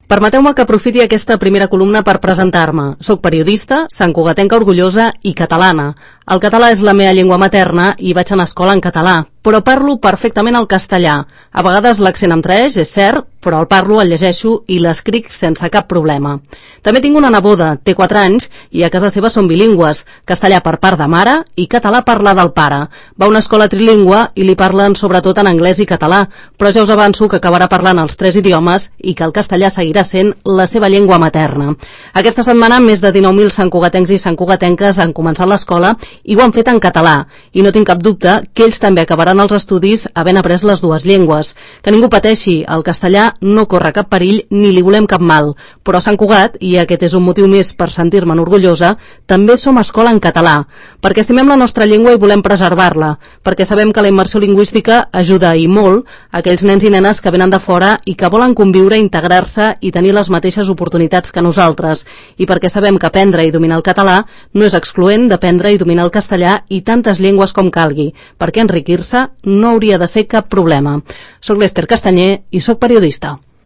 Permeteu-me que aprofiti aquesta primera columna per presentar-me. Soc periodista, santcugatenca orgullosa i catalana. El català és la meva llengua materna i vaig anar a escola en català, però parlo perfectament el castellà. A vegades l'accent em traeix, és cert, però el parlo, el llegeixo i l'escric sense cap problema. També tinc una neboda, té 4 anys, i a casa seva són bilingües, castellà per part de mare i català per la del pare. Va a una escola trilingüe i li parlen sobretot en anglès i català, però ja us avanço que acabarà parlant els 3 idiomes i que el castellà seguirà sent la seva llengua materna. Aquesta setmana més de 19.000 santcugatencs i santcugatenques han començat l'escola i ho han fet en català, i no tinc cap dubte que ells també acabaran els estudis havent après les dues llengües. Que ningú pateixi, el castellà no corre cap perill ni li volem cap mal, però a Sant Cugat, i aquest és un motiu més per sentir-me'n orgullosa, també som escola en català, perquè estimem la nostra llengua i volem preservar-la, perquè sabem que la immersió lingüística ajuda i molt a aquells nens i nenes que venen de fora i que volen conviure, integrar-se i tenir les mateixes oportunitats que nosaltres, i perquè sabem que aprendre i dominar el català no és excloent d'aprendre i dominar el castellà i tantes llengües com calgui, perquè enriquir-se no hauria de ser cap problema. Soc l'Ester Castanyer i soc periodista.